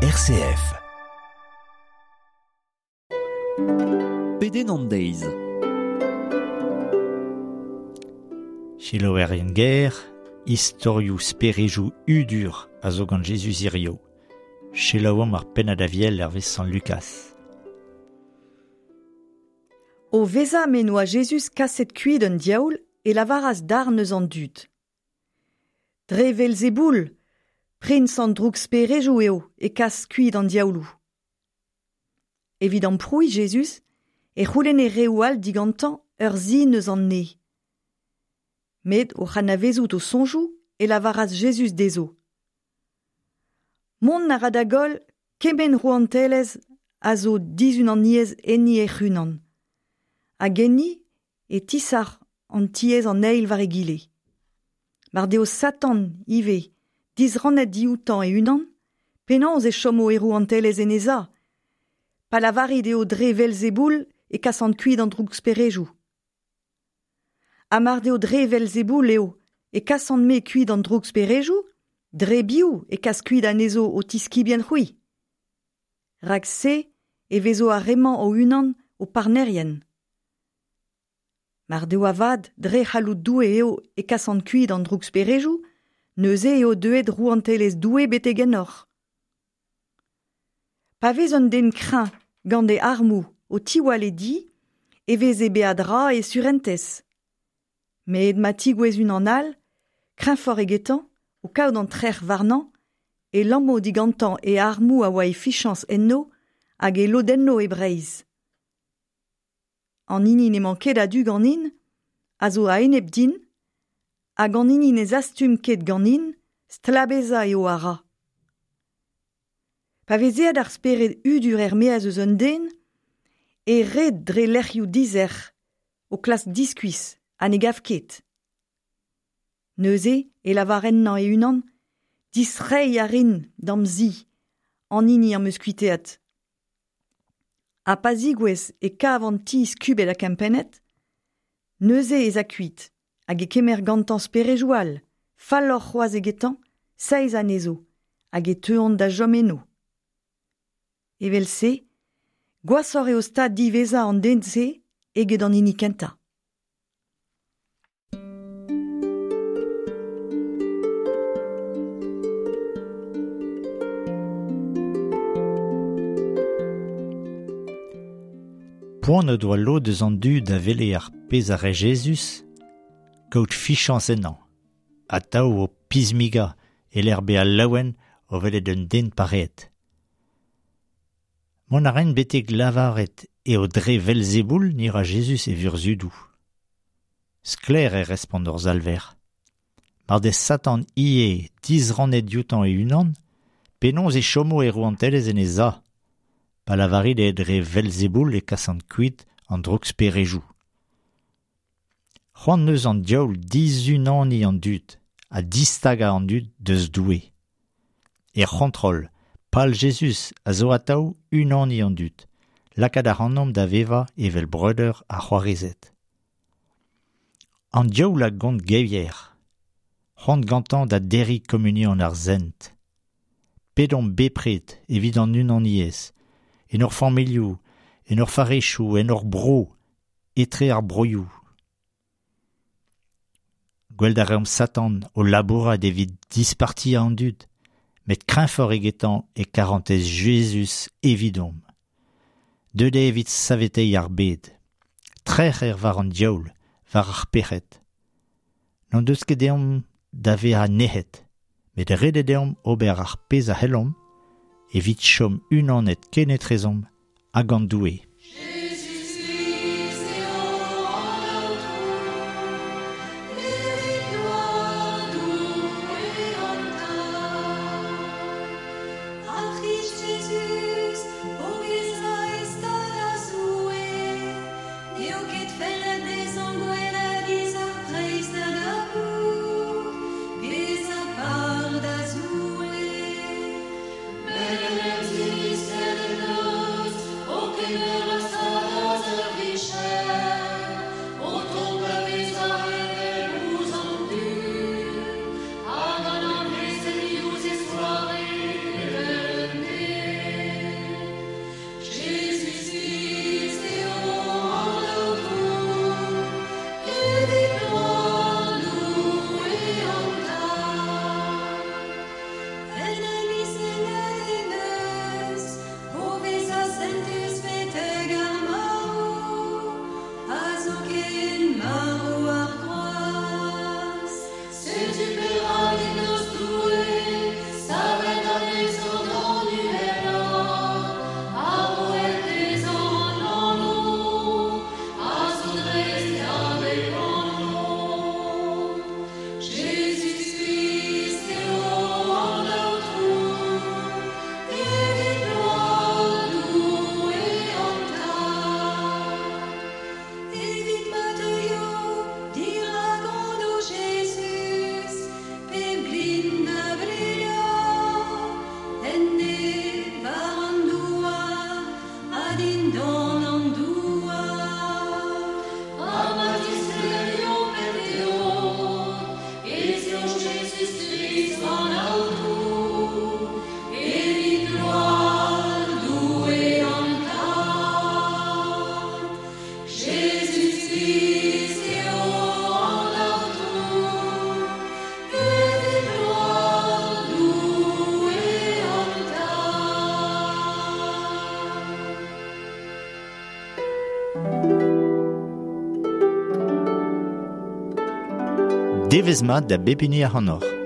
RCF. Pedenn an deiz. Selaouerien ger, istorioù sperejou hudur a zo gant Jezuz hirio. Selaouomp ar pennad aviel hervez Sant Lukas. O vezañ m'en doa Jezuz kaset kuit un diaoul e lavaras darn eus an dud. Dre Velzeboul, priñs an drouksperejoù eo e kas kuit an diaouloù. Evit amprouiñ Jezuz e c'houlenne reoù all digantañ ur sin eus an neñv. Met oc'h anavezout o soñjoù e lavaras Jezuz dezho. Mont a ra da goll kement rouantelezh a zo dizunaniezh enni hec'h-unan. Hag enni e tisac'h an tiez an eil war egile. Mar deo Satan ivez disrannet dioutañ e-unan, penaos e chomo e rouantelezh en he za? Pa lavarit eo dre Velzeboul e kasan kuit an drouksperejoù. Ha mar deo dre Velzeboul eo e kasan-me kuit an drouksperejoù, dre biv e kas kuit anezho ho tiskibien-c'hwi? Rak-se e vezo ar re-mañ o-unan ho parnerien. Mar deo avat dre c'halloud Doue eo e kasan kuit an drouksperejoù, neuze eo deuet rouantelezh Doue betek ennoc'h. Pa vez un den kreñv gant e armoù o tiwall e di, e vez e beadra e surentez. Met ma tigouez unan all, kreñvoc'h egetañ, o kaout an trec'h warnañ, e lammo digantañ e armoù a oa e fichañs enno hag e lodenno e Breizh. An hini n'emañ ket a-du ganin a zo a-enep din, hag an hini ne zastum ket ganin, stlabezañ eo a ra. Pa vez aet ar spered hudur er-maez eus un den, e red dre lec'hioù dizec'h, o klask diskuizh ha ne gav ket. Neuze e lavar ennañ e-unan, distreiñ a rin d'am zi, an hini am eus kuitaet. Ha pa zigouez e kav an ti skubet ha kempennet, neuze ez a kuit hag e kemer gantañ sperejoù all, falloc'h c'hoazh egetañ, seizh anezho, hag e teuont da chom eno. Evel-se, gwashoc'h eo stad diwezhañ an den-se eget an hini kentañ. Poan o doa lod eus an dud a wele ar pezh a rae Jezuz kaout fichañs ennañ, atav o pismigañ e-lec'h bezañ laouen o welet un den pareet. Mont a raent betek lavaret eo dre Velzeboul ne ra Jezuz e vurzhudoù. Sklaer e respont hor Salver. Mar dez Satan ivez disrannet dioutañ e-unan, penaos e chomo e rouantelezh en he za? Pa lavarit eo dre Velzeboul e kasan kuit an drouksperejoù. C'hoant neus an diaoul dizunaniñ an dud ha distagañ an dud deus Doue. Er c'hontrol, pal Jezuz a zo atav unaniñ an dud, lakaat ac'hanomp da vevañ evel breudeur ha c'hoarezed. An diaoul a gont gevier, c'hoant gantañ da derriñ komunion ar sent. Pedomp bepred evit an unaniezh, en hor familhoù, en hor farrezioù, en hor bro, etre ar broioù. Gwelet a reomp Satan o labourat evit dispartiañ an dud, met kreñvoc'h egetañ e karantez Jezuz evidomp. Deuet eo evit saveteiñ ar bed. Trec'h eo war an diaoul, war ar pec'hed. N'hon deus ket deomp da vezañ nec'het, met ret eo deomp ober ar pezh a c'hellomp evit chom unanet kenetrezomp ha gant Doue. Devezh mat da bep hini ac'hanoc'h.